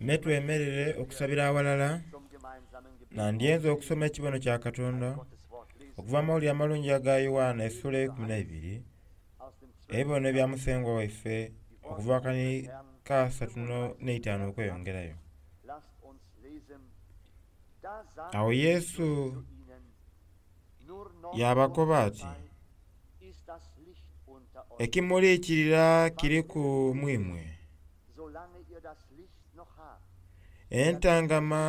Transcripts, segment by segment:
Me twemerere okusabira aghalala, nandyenze okusoma ekibono kya Katonda okuva mu Mawulire Amalungi aga Yoanna essuula eikumi n'eibiri, ebibono ebya Musengwa waife okuva akani ka asatu n'eitaanu okweyongerayo. Agho Yesu yaabakoba ati, Ekimuliikirira kiriku mu imwe. Entangama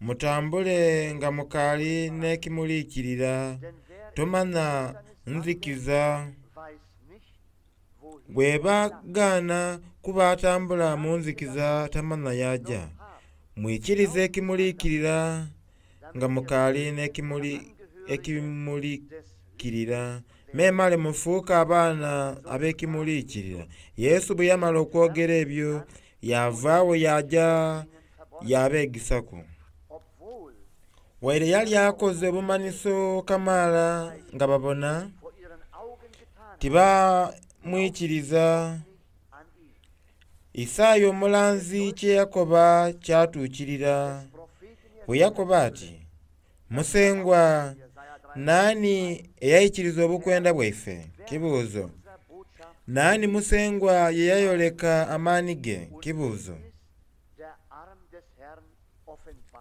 mutambule nga mukaali n'ekimuliikirira, tomanha nzikiza bw'ebagaana kuba atambula mu nzikiza tamanha y'aja. Mwikirize ekimuliikirira nga mukaali n'ekimuliikirira, memale mufuuke abaana ab'ekimuliikirira. Yesu bwe yamala okwogera ebyo, yaava agho yaaja yaabeegisaku. Waire yali akoze obumanhiso kamaala nga babona, tibamwikiriza. Isaia omulanzi kye yakoba kyatuukirira, bwe yakoba ati, Musengwa, naani eyaikiriza obukwenda bwaife? Kibuuzo. Naani Musengwa ye yayoleka amaani ge? Kibuuzo.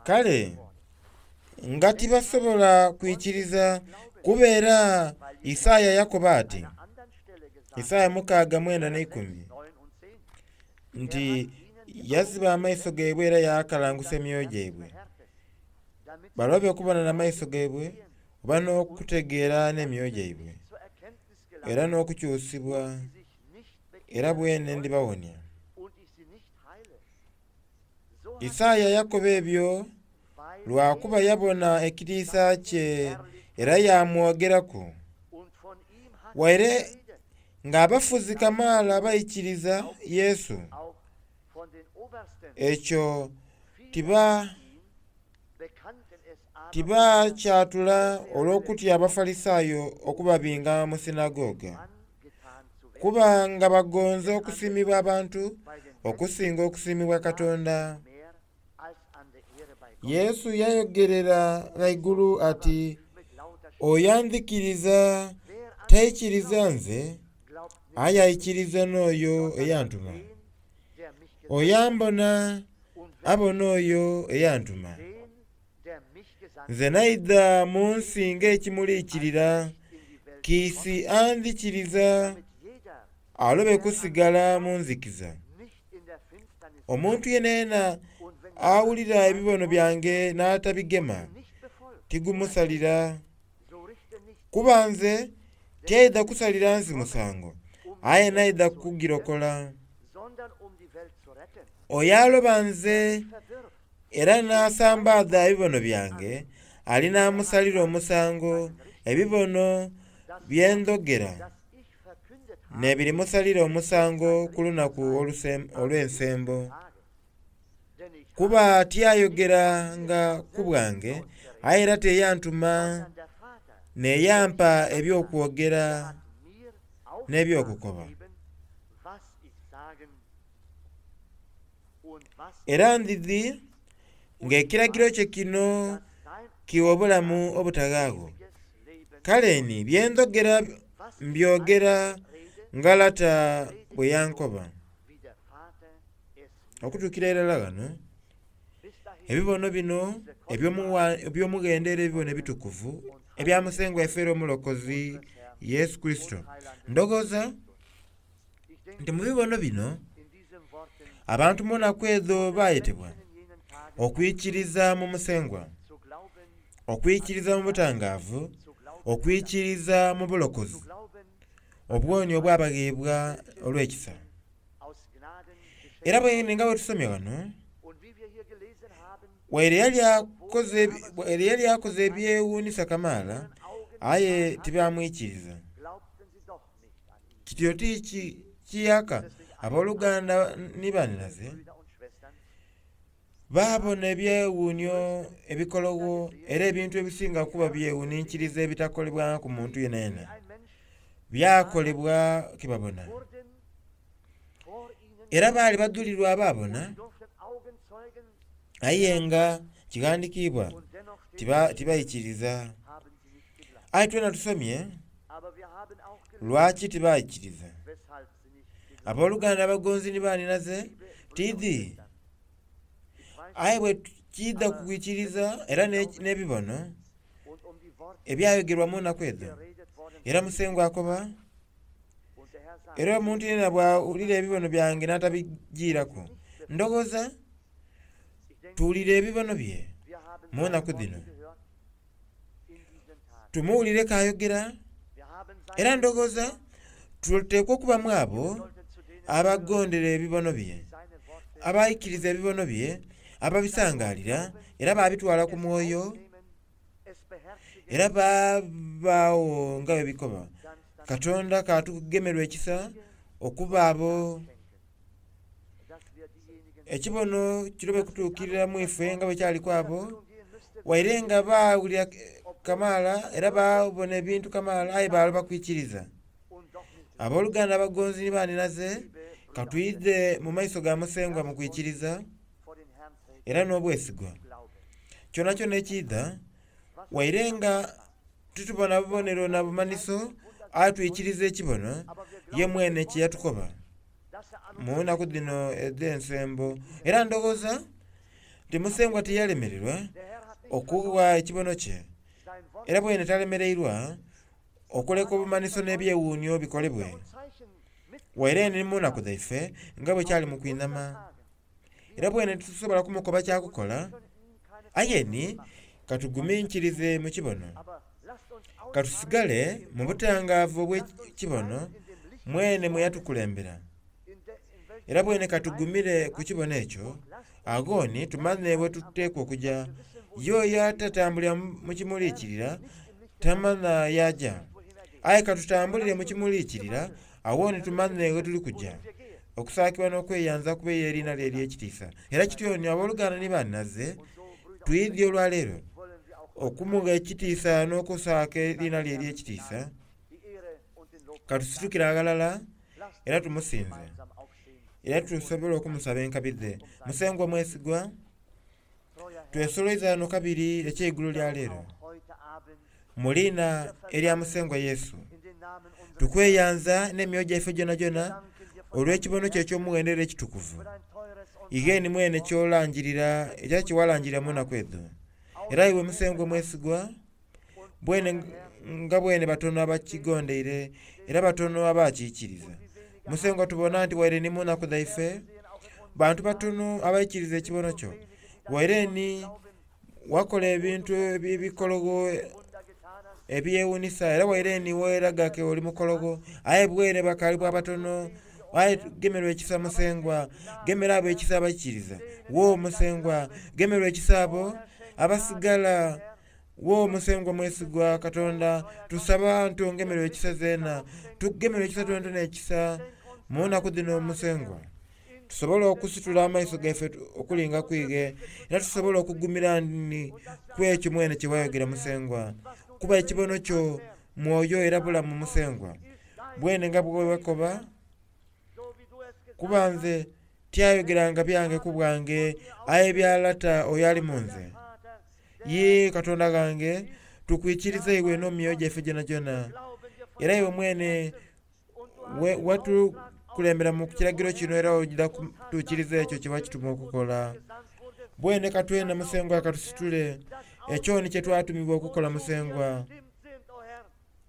Kale nga tibasobola kwikiriza, kuba era Isaia yakoba ati, Isaia mukaaga mwenda n'eikumi, nti yaziba amaiso gaibwe era yaakalangusa emyoyo gyaibwe, balobe okubona n'amaiso gaibwe oba n'okutegeera n'emyoyo gyaibwe, era n'okukyusibwa, era bwene ndibawonia. Isaia yakoba ebyo lwa kuba yabona ekitiisa kye era yaamwogeraku. Waire ng'abafuzi kamaala baikiriza Yesu, ekyo tiba tibakyatula olw'okutya Abafalisaayo okubabinga mu sinagoga. Kuba nga bagonza okusiimibwa abantu okusinga okusiimibwa Katonda. Yesu yayogerera ghaigulu ati, Oyo andhikiriza taikiriza nze, aye aikiriza n'oyo eyantuma. Oyo ambona abona oyo eyantuma. Nze naidha mu nsi ng'ekimuliikirira, kiisi andhikiriza alobe kusigala mu nzikiza. Omuntu yenayena awulira ebibono byange n'atabigema, tigumusalira. Kuba nze tyaidha kusalira nsi musango, aye naidha kugirokola. Oyo aloba nze era n'asambaadha ebibono byange, ali n'amusalira omusango. Ebibono bye ndhogera n'ebirimusalira omusango ku lunaku olw'ensembo. Kuba tiyayogeranga ku bwange, aye era teyantuma n'eyampa eby'okwogera n'eby'okukoba. Era ndidhi ng'ekiragiro kye kino kigha obulamu obutaghaagho. Kale ni bye ndhogera mbyogera nga Lata bwe yankoba. Okutuukira irala ghano, ebibono bino eby'omughendo era ebibono ebitukuvu ebya Musengwa waife era Omulokozi Yesu Kurisito. Ndhoghoza nti mu bibono bino abantu mu naku edho baayetebwa okwikiriza mu Musengwa, okwikiriza mu butangaavu, okwikiriza mu bulokozi, obuwonio obwabagheebwa olw'ekisa. Era bwene nga bwe tusomye ghano, waire yali akoze waire yali akoze ebyewuunhisa kamaala, aye tibaamwikiriza. Kityo ti kiyaaka aboluganda ni banhinaze baabona ebyewuunhio ebikologho era ebintu ebisinga kuba byewuninkiriza ebitakolebwangaku muntu yenayena, byakolebwa ke babona. Era baali badhulirwa abaabona. Aye nga kighandikiibwa tibaikiriza. Aye twena tusomye lwaki tibaikiriza. Aboluganda abagonzi ni baninaze, tiidhi. Aye bwe kiidha ku kwikiriza era n'ebibono ebyayogerwa mu naku edho, era Musengwa akoba, Era omuntu yeena bw'awulira ebibono byange n'atabijiiraku, ndhoghoza tuwulira ebibono bye mu naku dhino. Tumuwulire k'ayogera, era ndhoghoza tuteekwa okuba mu abo abagondera ebibono bye, abaikiriza ebibono bye, ababisangaalira era baabitwala ku mwoyo. Era baabaagho nga bwe bikoba. Katonda k'atugemerwe ekisa okuba abo. Ekibono kirobe kutuukirira mu ife nga bwe kyali ku abo, waire nga baawulira kamaala era baabona ebintu kamaala aye baaloba kwikiriza. Aboluganda abagonzi ni banhinaze, ka twidhe mu maiso ga Musengwa mu kwikiriza era n'obwesigwa. Kyonakyona ekiidha, waire nga titubona bubonero na bumanhiso, aye twikiriza ekibono ye mwene kye yatukoba mu nnaku dhino edh'ensembo. Era ndhoghoza nti Musengwa tiyalemererwa okugha ekibono kye, era bwene talemereirwa okuleka obumanhiso n'ebyewuunhio bikolebwe, waire ni mu naku dhaife nga bwe kyali mu kwinhama. Era bwene titusobola kumukoba kya kukola, aye ni katuguminkirize mu kibono. Katusigale mu butangaavu obw'ekibono mwene mwe yatukulembera. Era bwene katugumire ku kibono ekyo, agho ni tumanhe bwe tuteekwa okuja. Ye oyo atatambulira mu kimuliikirira tamanha y'aja. Aye katutambulire mu kimuliikirira, agho ni tumanhe ghe tuli kuja. Okusaakibwa n'okweyanza kube y'eriina lye ery'ekitiisa. Era kityo ni aboluganda ni banhaze, twidhie olwaleero okumugha ekitiisa n'okusaaka eriina lye ery'ekitiisa. Katusitukire aghalala era tumusinze, era tusobole okumusaba enkabi dhe. Musengwa omwesigwa, twesoloiza ghano kabiri eky'eigulo lya leero, mu liina erya Musengwa Yesu. Tukweyanza n'emyoyo gyaife gyonagyona olw'ekibono kyo eky'omughendo era ekitukuvu. Ighe ni mwene ky'olangirira era kye walangirira mu naku edho. Era iwe Musengwa omwesigwa, Bwene nga bwene batono abakigondeire era batono abakiikiriza. Musengwa tubona nti waire ni mu naku dhaife, bantu batono abaikiriza ekibono kyo. Waire ni wakola ebintu ebikologho ebyewunisa era waire ni weeraga ke oli mukologho, aye bwene bakaali bwa batono. Aye gemerwa ekisa Musengwa, gemera abo ekisa abaikiriza. Wo Musengwa, gemerwa ekisa abo abasigala. Wo Musengwa mwesigwa Katonda, tusaba nti ongemerwe ekisa zeena, tukugemerwe ekisa twenatwena ekisa mu naku dhino Musengwa, tusobole okusitula amaiso gaife okulinga ku ighe, era tusobole okugumira ni ku ekyo mwene kye wayogera Musengwa. Kuba ekibono kyo mwoyo era bulamu Musengwa, bwene nga bwe wakoba. Kuba nze tyayogeranga byange ku bwange, aye bya Lata oyo ali mu nze. Yee, Katonda ghange, tukwikiriza iwe n'emyoyo gyaife gyonagyona. Era iwe mwene watukulembera mu kiragiro kino era oidha kutuukiriza ekyo kye wakituma okukola. Bwene ka twena Musengwa katusitule ekyo ni kye twatumibwa okukola Musengwa.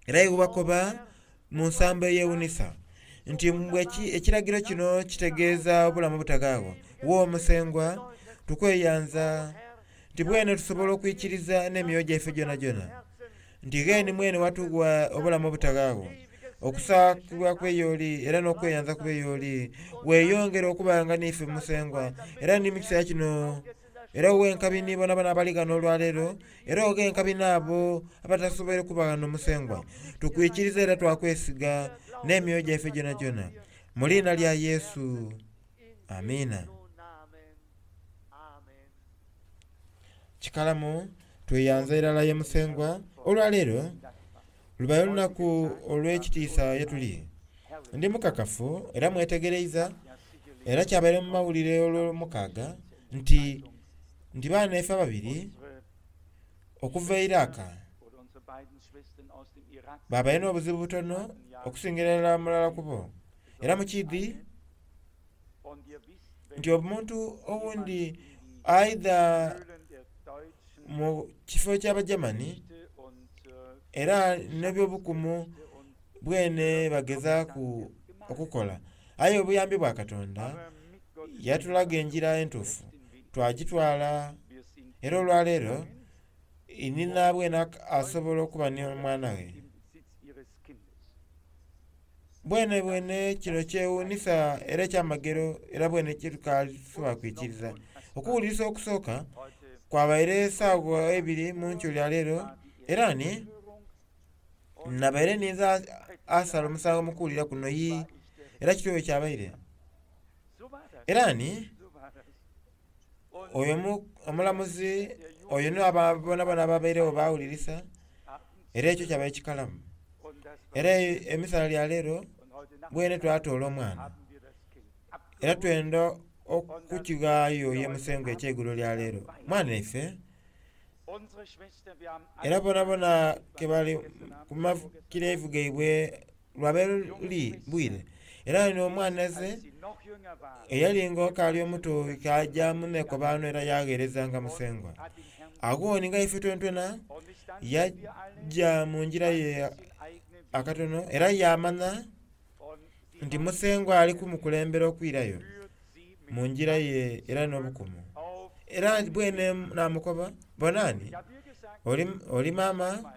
Era iwe wakoba mu nsambo eyewuunhisa nti ekiragiro kino kitegeeza obulamu obutaghaagho. Wo Musengwa, tukweyanza nti bwene tusobola okwikiriza n'emyoyo gyaife gyonagyona nti gheni mwene watugha obulamu obutaghaagho. Okusaakibwa kube y'oli era n'okweyanza kube y'oli. Weeyongere okubanga n'ife Musengwa era ni mu kiseera kino. Era oghe enkabi ni bonabona abali ghano olwaleero, era oghe enkabi n'abo abatasoboire kuba ghano Musengwa. Tukwikiriza era twakwesiga n'emyoyo gyaife gyonagyona. Mu liina lya Yesu. Amiina. Kikalamu tweyanza irala ye Musengwa olwaleero lubaire olunaku olw'ekitiisa ye tuli. Ndi mukakafu era mwetegereiza era kyabaire mu mawulire olwomukaaga nti Nti baana ife ababiri okuva e Iraq babaire n'obuzibu butono okusingira irala mulala ku bo. Era mukiidhi nti omuntu owundi aidha mu kifo eky'Abagermany era n'ebyobukumu bwene bagezaaku okukola. Aye obuyambi bwa Katonda yatulaga engira entuufu twagitwala era olwaleero inhina bwene asobola okuba n'omwana we. Bwene bwene kino kyewuunhisa era ekyamagero era bwene kyetukasobola kwikiriza. Okuwulirisa okusooka kwabaire saawa ibiri mu nkyo lya leero era ni nabaire ninze asala omusango mu kuwulira kuno yi era kityo bwe kyabaire. Era ni oyo omulamuzi oyo n'abo bonabona ababairegho bawulirisa era ekyo kyabaire kikalamu. Era emisana lya leero bwene twatoola omwana era twenda okukighaayo ye Musengwa eky'eigulo lya leero. Mwana ife era bonabona kebali ku makirevu gaibwe lwabaire luli bwire. Era n'omwana ze eyali nga okaali omuto kaja mu nhekobano era yagheerezanga Musengwa. Agho ni nga ife twenatwena yaja mu ngira ye akatono era yamanha nti Musengwa ali kumukulembera okwirayo mu ngira ye era n'obukumu. Era bwene namukoba, bona ni oli maama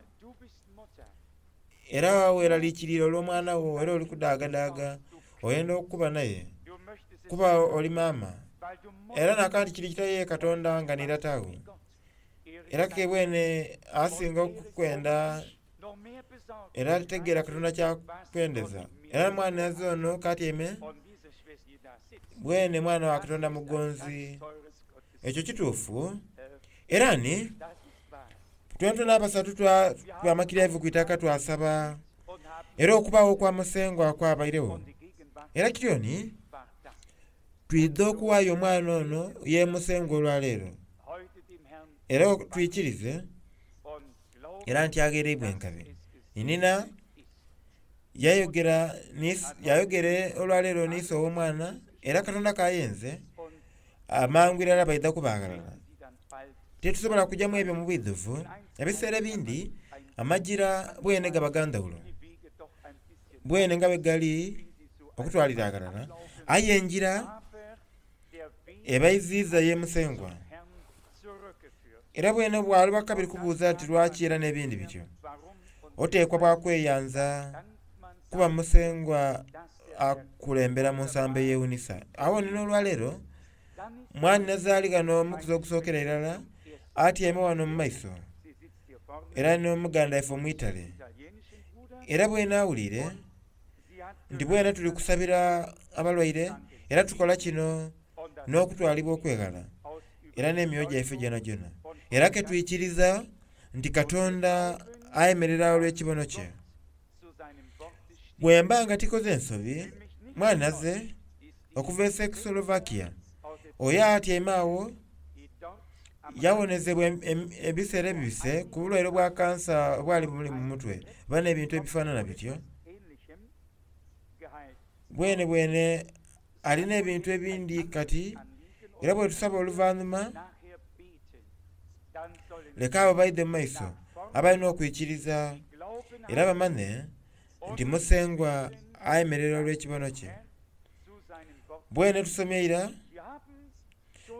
era weraliikirira olw'omwana wo era oli kudaagadaaga oyenda okuba naye kuba oli maama. Era nakanti kiri kitya ye Katonda nga ni lata wo. Era ke bwene asinga okukwenda era tegeera Katonda kyakwendeza. Era mwanhinaze ono k'atyaime bwene mwana wa Katonda mugonzi. Ekyo kituufu era ni twenatwena abasatu twamakira ku itaka twasaba era okubagho okwa Musengwa kwabairegho. Era kityo ni twidha okughaayo omwana ono ye Musengwa olwaleero era twikirize era nti aghereibwa enkabi. Inhina yayogera yayogere olwaleero n'ise ow'omwana era Katonda k'ayenze amangu irala baidha kuba ghalala. Titusobola kugya mu ebyo mu bwidhuvu, ebiseera ebindi amagira bwene gaba ga ndhaghulo bwene nga bwe gali okutwalira aghalala, aye engira ebaiziiza ye Musengwa. Era bwene bwaloba kabiri kubuuza nti lwaki era n'ebindi bityo, oteekwa bwa kweyanza kuba Musengwa akulembera mu nsambo eyewuunhisa. Agho ni n'olwaleero mwanhinaze ali ghano omukuzi ogusookera irala atyaime ghano mu maiso era n'omuganda waife omwitale. Era bwene awuliire nti bwene tuli kusabira abalwaire era tukola kino n'okutwalibwa okweghala era n'emyoyo gyaife gyonagyona. Era ke twikiriza nti Katonda ayemerera olw'ekibono kye. Bwemba nga tikoze nsobi, mwanhinaze okuva e Czechoslovakia oyo atyaime agho yawonezebwa ebiseera ebibise ku bulwaire obwa kansa obwali bumuli mu mutwe oba n'ebintu ebifanana bityo. Bwene bwene alina ebintu ebindi kati era bwetusaba oluvanhuma leka abo baidhe mu maiso abalina okwikiriza era bamanhe nti Musengwa ayemerera olw'ekibono kye. Bwene tusomye ira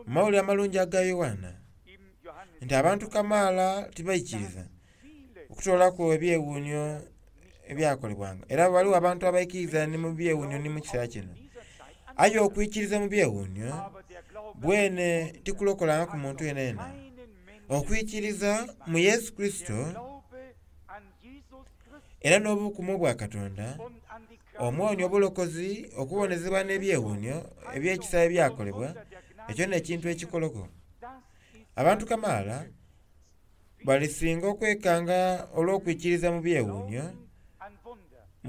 mu Mawulire Amalungi aga Yoanna nti abantu kamaala tibaikiriza okutoolaku ebyewuunhio ebyakolebwanga. Era ghaligho abantu abaikiriza ni mu byewuunhio ni mu kiseera kino. Aye okwikiriza mu byewuunhio bwene tikulokolangaku muntu yenayena. Okwikiriza mu Yesu Kurisito era n'obukumu obwa Katonda, omwonia obulokozi, okuwonezebwa n'ebyewuunhio eby'ekisa ebyakolebwa, ekyo n'ekintu ekikologho. Abantu kamaala balisinga okwekanga olw'okwikiriza mu byewuunhio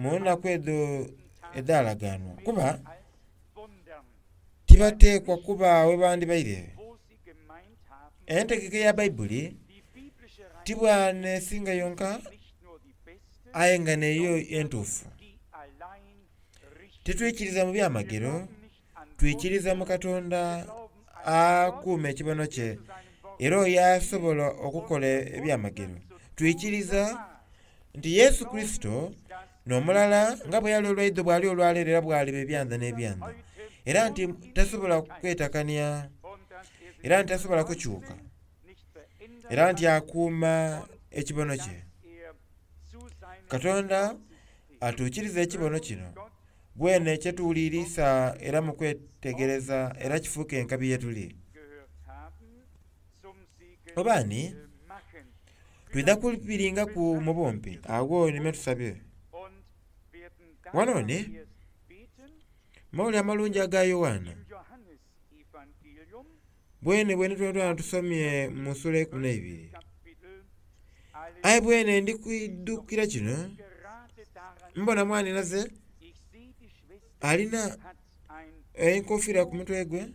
mu nnaku edho edhalaganwa, kuba tibateekwa kuba ghe bandibaire. Entegeka eya Baibuli ti bwanesinga yonka aye nga neyo entuufu. Titwikiriza mu byamagero, twikiriza mu Katonda akuuma ekibono kye era oyo asobola okukola ebyamagero. Twikiriza nti Yesu Kurisito n'omulala nga bwe yali olwaidho bwali olwaleero era bwaliba ebyanda n'ebyanda, era nti tasobola kwetakania, era nti tasobola kukyuka, era nti akuuma ekibono kye. Katonda atuukiriza ekibono kino bwene kyetuwulirisa era mu kwetegereza era kifuuke enkabi ye tuli. Oba ni twidha kubiringaku mu bumpi agho nime tusabye. Wano ni mawulire amalungi aga Yoanna bwene bwene twena tusomye mu sula eikumi n'eibiri. Aye bwene ndi kwidhukira kino, mbona mwanhinaze alina enkofiira ku mutwe gwe,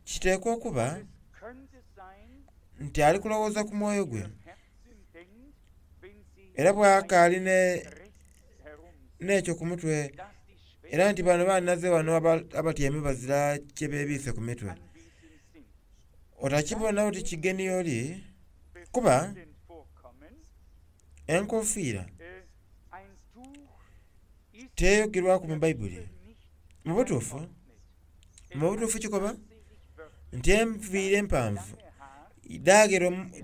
kiteekwa okuba nti ali kulowooza ku mwoyo gwe era bw'akaali n'ekyo ku mutwe, era nti bano banhinaze wano abatyaime bazira kye beebiise ku mitwe. Otakibona oti kigeni y'oli, kuba enkofiira teyogerwaku mu Baibuli. Mu butuufu kikoba nti enviiri empanvu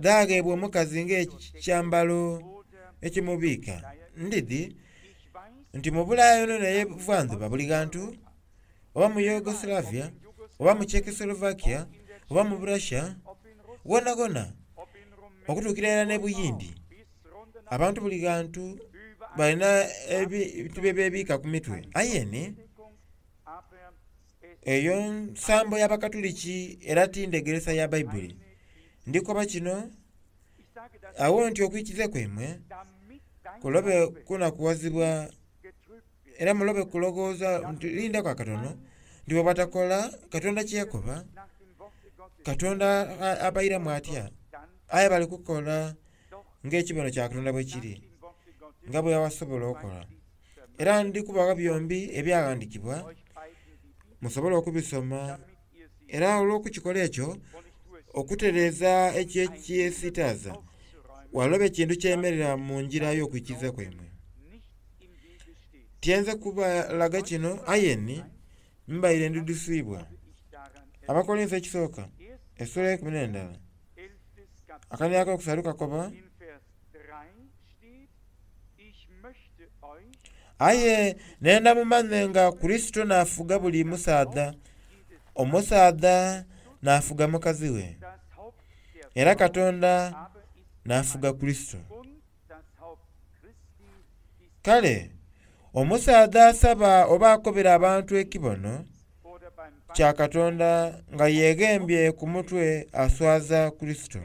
dhagheebwa omukazi ng'ekyambalo ekimubiika. Ndidhi nti mu Bulaaya yonayona ey'ebuvandhuba buli ghantu, oba mu Yugoslavia, oba mu Czechoslovakia, oba mu Russia, ghonhaghonha okutuukira irala n'e Buyindi, abantu buli ghantu balina ebintu bye beebiika ku mitwe. Aye ni eyo nsambo y'Abakatuliki era ti ndhegeresa ya Baibuli. Ndikoba kino agho nti okwikiriza kwaimwe kulobe kunakughazibwa era mulobe kulowooza nti lindaku akatono nti bwe batakola Katonda kye yakoba, Katonda abairamu atya? Aye bali kukola ng'ekibono kya Katonda bwe kiri, nga bwe basobola okukola. Era ndi kubagha byombi ebyaghandiikibwa musobole okubisoma, era olw'okukikola ekyo okutereeza ekyo ekyesitaaza, waloba ekintu kyemerera mu ngira y'okwikiriza kwaimwe. Tyenze kubalaga kino aye ni mbaire ndidhusiibwa. Abakolinso ekisooka essula eikumi n'endala akaniiro akokusatu kakoba, Aye nenda mumanhe nga Kurisito n'afuga buli musaadha, omusaadha n'afuga mukazi we, era Katonda n'afuga Kurisito. Kale omusaadha asaba oba akobera abantu ekibono kya Katonda nga yeghembye ku mutwe aswaza Kurisito.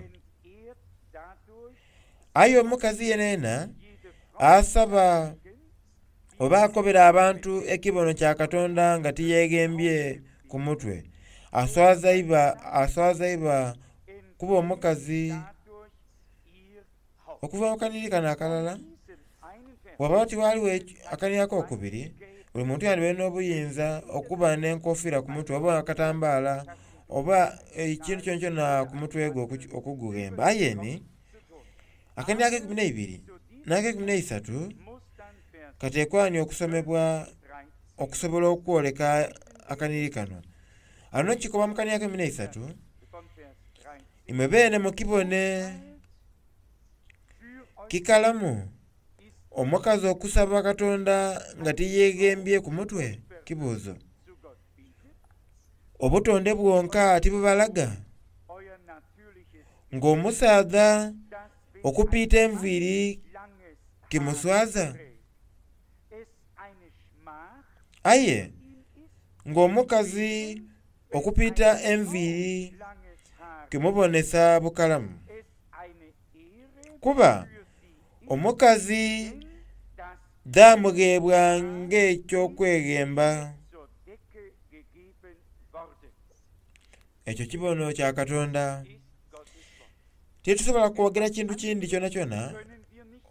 Aye omukazi yenayena asaba oba akobera abantu ekibono kya Katonda nga tiyeghembye ku mutwe, aswaza iba kuba omukazi. Okuva mu kanhiriri kano akalala, bw'oba tighaliwo akanhiriri akokubiri, buli muntu yandibaire n'obuyinza okuba n'enkofiira ku mutwe oba akatambaala oba ekintu kyonakyona ku mutwe gwe okugughemba. Aye ni akanhiriri akeikumi n'eibiri n'akeikumi n'eisatu kateekwa ni okusomebwa okusobola okwoleka akanhiriri kano. Ghano kikoba mu kanhiriri akeikumi n'eisatu, imwe beene mukibone kikalamu omukazi okusaba Katonda nga tiyeghembye ku mutwe? Kibuuzo. Obutonde bwonka tibubalaga ng'omusaadha okupiita enviiri kimuswaza? Aye ng'omukazi okupiita enviiri kimubonesa bukalamu. Kuba omukazi dhamugheebwa ng'eky'okweghemba. Ekyo kibono kya Katonda. Titusobola kwogera kintu kindi kyonakyona.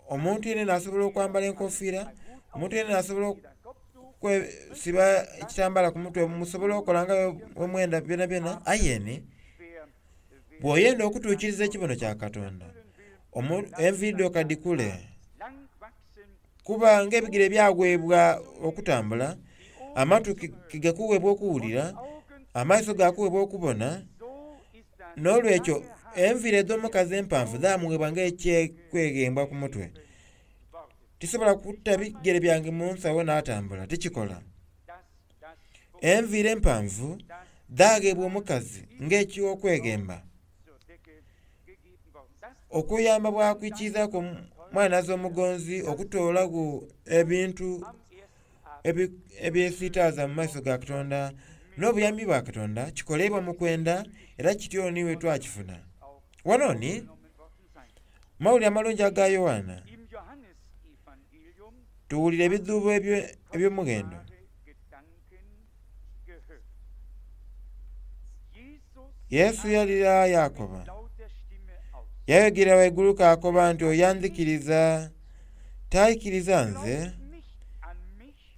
Omuntu yenayena asobola okwambala enkofiira, omuntu yenayena asobola okwesiba ekitambala ku mutwe, musobola okola nga bwe mwenda byonabyona. Aye ni bw'oyenda okutuukiriza ekibono kya Katonda, enviiri dho ka dhikule, kuba ng'ebigere byagheebwa okutambula, amatu tigakuweebwa okuwulira, amaiso gakuweebwa okubona, n'olwekyo enviiri edh'omukazi empanvu dhamuweebwa ng'ekyekweghemba ku mutwe. Tisobola kuta bigere byange mu nsawo n'atambula, tikikola. Enviiri empanvu dhagheebwa omukazi ng'ekyokweghemba, okuyamba bwakwikirizaku omwanhinaze omugonzi okutoolagho ebintu ebyesitaaza mu maiso ga Katonda n'obuyambi bwa Katonda kikolebwa mu kwenda era kityo ni bwe twakifuna. Wano ni mawulire amalungi aga Yoanna tuwulira ebidhuubo eby'omughendo. Yesu yalira yaakoba, yayogera ghaigulu k'akoba nti oyo andhikiriza taikiriza nze,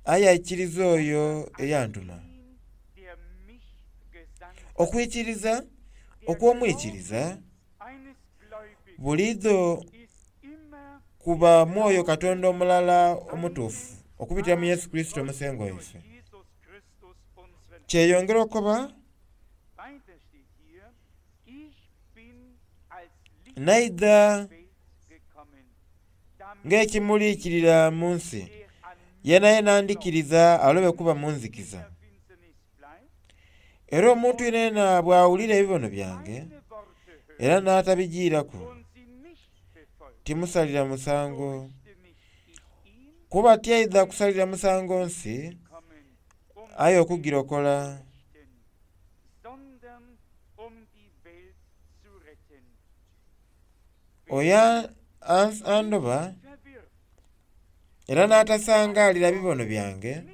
aye aikiriza oyo eyantuma. Okwikiriza okw'omwikiriza buliidho kuba mwoyo Katonda omulala omutuufu okubitira mu Yesu Kurisito Omusengwa waife. Kyeyongera okuba naidha ng'ekimuliikirira mu nsi, yenayena andhikiriza alobe kuba mu nzikiza. Era omuntu yenayena bw'awulira ebibono byange era n'atabijiiraku, timusalira musango, kuba tyaidha kusalira musango nsi, aye okugirokola. Oyo andoba era n'atasangaalira bibono byange,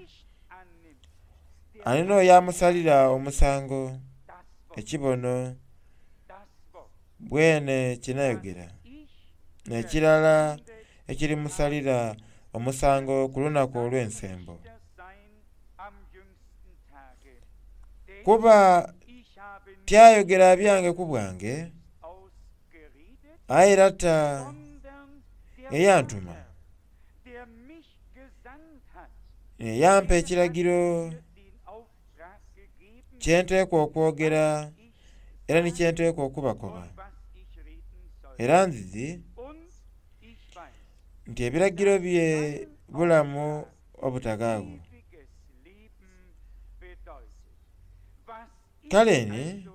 ali n'oyo amusalira omusango. Ekibono bwene kye nayogera, n'ekirala ekirimusalira omusango ku lunaku olw'ensembo. Kuba tyayogera byange ku bwange, aye Lata eyantuma yampa ekiragiro kye nteekwa okwogera era ni kye nteekwa okubakoba. Era ndidhi nti ebiragiro bye bulamu obutaghaagho. Kale ni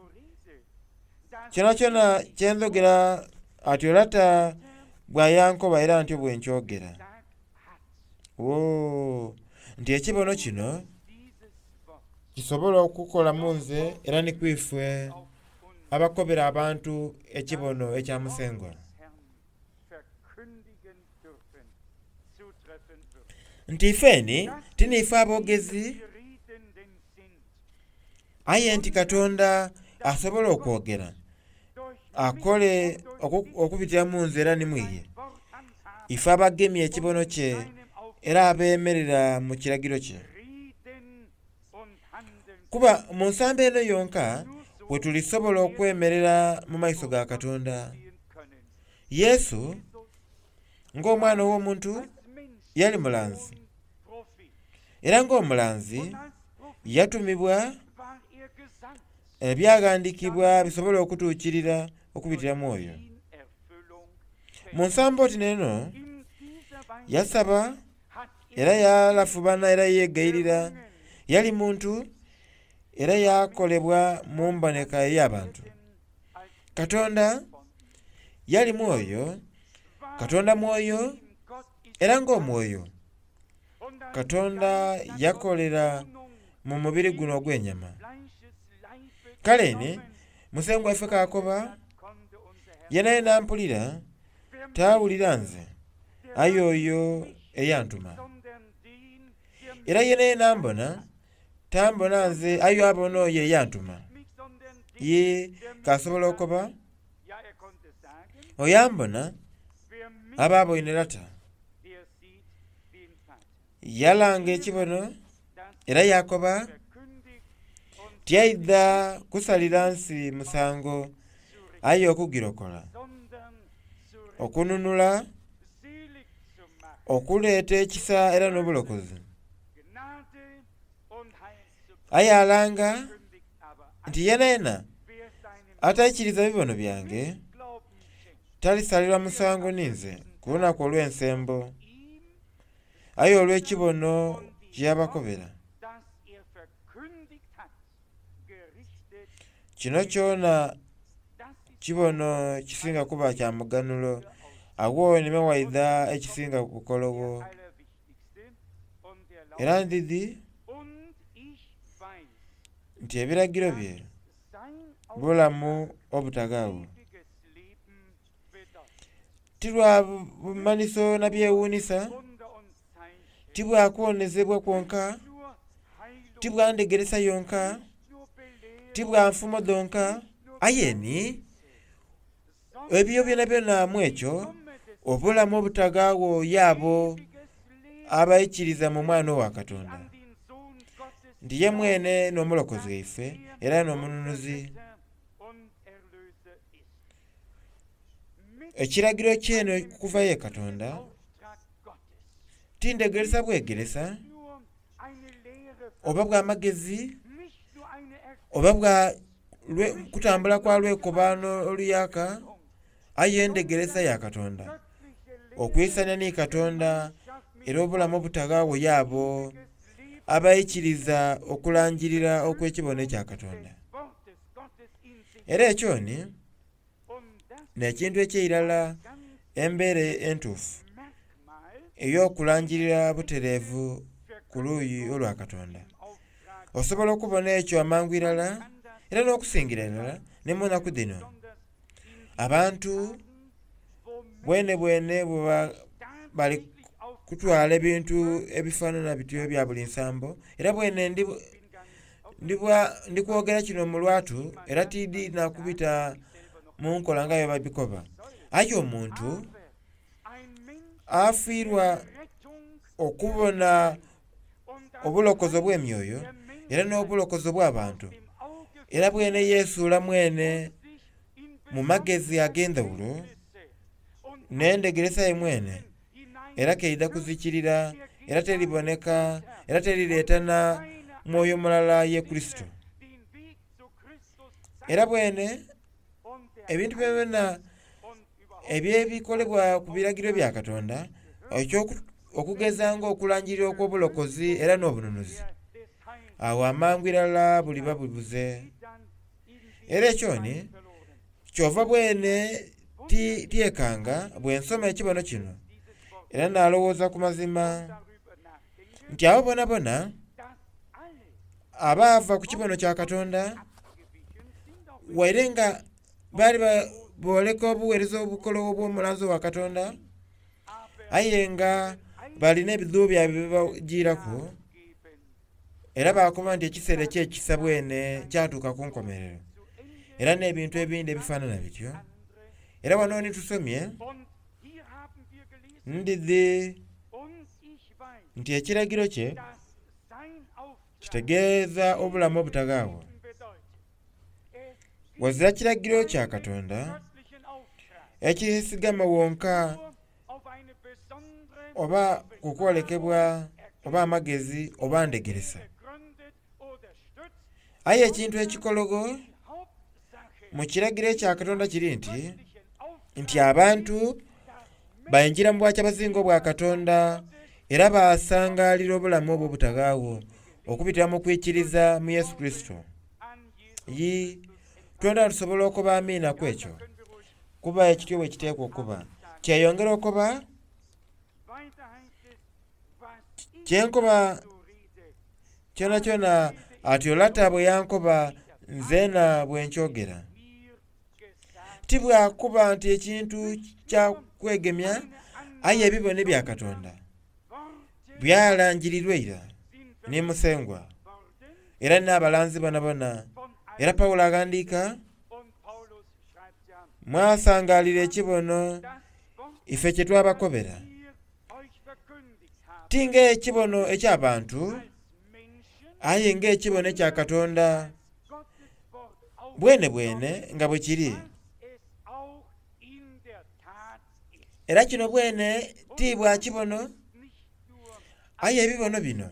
kyonakyona kye ndhogera atyo Lata bw'ayankoba era ntyo bwe nkyogera. Woo! Nti ekibono kino kisobola okukola mu nze era ni ku ife abakobera abantu ekibono ekya Musengwa. Nti ifeni ti niife aboogezi, aye nti Katonda asobola okwogera akole okubitira mu nze era ni mu iye. Ife abagemye ekibono kye era abeemerera mu kiragiro kye. Kuba mu nsambo eno yonka bwe tulisobola okwemerera mu maiso ga Katonda. Yesu ng'Omwana ow'Omuntu yali mulanzi, era ng'omulanzi yatumibwa ebyaghandiikibwa bisobole okutuukirira okubitira mu oyo. Mu nsambo oti n'eno yasaba era yalafubana era yeegayirira, yali muntu era yakolebwa mu mboneka ey'abantu. Katonda yali mwoyo, Katonda mwoyo era ng'omwoyo Katonda yakolera mu mubiri guno ogw'enyama. Kale ni Musengwa waife k'akoba, yenayena ampulira tawulira nze, aye oyo eyantuma. Era yenayena ambona tambona nze aye abona oyo eyantuma. Ye k'asobola okukoba, Oyo ambona aba aboine Lata. Yalanga ekibono era yaakoba, Tyaidha kusalira nsi musango aye okugirokola, okununula, okuleeta ekisa era n'obulokozi. Aye alanga nti yenayena ataikiriza bibono byange talisalirwa musango ninze ku lunaku olw'ensembo, aye olw'ekibono kye yabakobera. Kino kyona kibono kisinga kuba kya muganhulo, agho ni waidha ekisinga bukologho. Era ndidhi nti ebiragiro bye bulamu obutaghaagho. Ti lwa bumanhiso na byewuunhisa, ti bwa kuwonezebwa kwonka, ti bwa ndhegeresa yonka, ti bwa nfumo dhonka, aye ni ebyo byonabyona mu ekyo obulamu obutaghaagho y'abo abaikiriza mu Mwana owa Katonda, nti ye mwene n'Omulokozi waife era n'Omununuzi. Ekiragiro kyene okuva ye Katonda ti ndhegeresa bwegeresa oba bwa magezi oba bwa kutambula kwa lwekobaano oluyaaka, aye endhegeresa ya Katonda, okwisania ni Katonda era obulamu obutaghaagho y'abo abaikiriza okulangirira okw'ekibono ekya Katonda. Era ekyo ni n'ekintu eky'eirala embeera entuufu ey'okulangirira butereevu ku luuyi olwa Katonda. Osobola okubona ekyo amangu irala era n'okusingira irala ni mu naku dhino. Abantu bwenebwene bweba bali kutwala ebintu ebifanana bityo ebya buli nsambo, era bwene ndi kwogera kino mu lwatu era tiidhi na kubita mu nkola nga bwebabikoba. Aye omuntu afiirwa okubona obulokozi obw'emyoyo era n'obulokozi obw'abantu, era bwene yesuula mwene mu magezi ag'endhaghulo n'endhegeresa ye mwene, era keidha kuzikirira era teriboneka era terireeta na mwoyo mulala ye Kurisito. Era bwene ebintu byonabyona eby'ebikolebwa ku biragiro bya Katonda, okugeza nga okulangirira okw'obulokozi era n'obununuzi, agho amangu irala buliba bubuze. Era ekyo ni kyova bwene tyekanga bwe nsoma ekibono kino, era naalowooza ku mazima nti abo bonabona abaava ku kibono kya Katonda, waire nga baali booleka obugheereza obukologho obw'omulanzi owa Katonda, aye nga balina ebidhuubo byaibwe bye bajiiraku, era baakoba nti ekiseera eky'ekisa bwene kyatuuka ku nkomerero, era n'ebintu ebindi ebifaanana bityo. Era wano ni tusomye, ndidhi nti ekiragiro kye kitegeeza obulamu obutaghaagho. Ghazira kiragiro kya Katonda ekyesigama wonka oba ku kwolekebwa oba amagezi oba ndhegeresa. Aye ekintu ekikologho mu kiragiro ekya Katonda kiri nti, nti abantu baingira mu bwakyabazinga obwa Katonda era baasangaalira obulamu obwo obutaghaagho okubitira mu kwikiriza mu Yesu Kurisito. Yii, twena tusobola okuba amiina ku ekyo, kuba ekityo bwe kiteekwa okuba. Kyeyongera okuba kyenkoba kyonakyona atyo Lata bwe yankoba nzeena bwe nkyogera. Ti bwa kuba nti ekintu kya kwegemya, aye ebibono ebya Katonda byalangirirwa ira ni Musengwa era n'abalanzi bonabona. Era Paulo aghandiika. Mwasangalira ekibono ife kye twabakobera. Ti ng'ekibono eky'abantu, aye ng'ekibono ekya Katonda bwene bwene nga bwe kiri. Era kino bwene ti bwa kibono, aye ebibono bino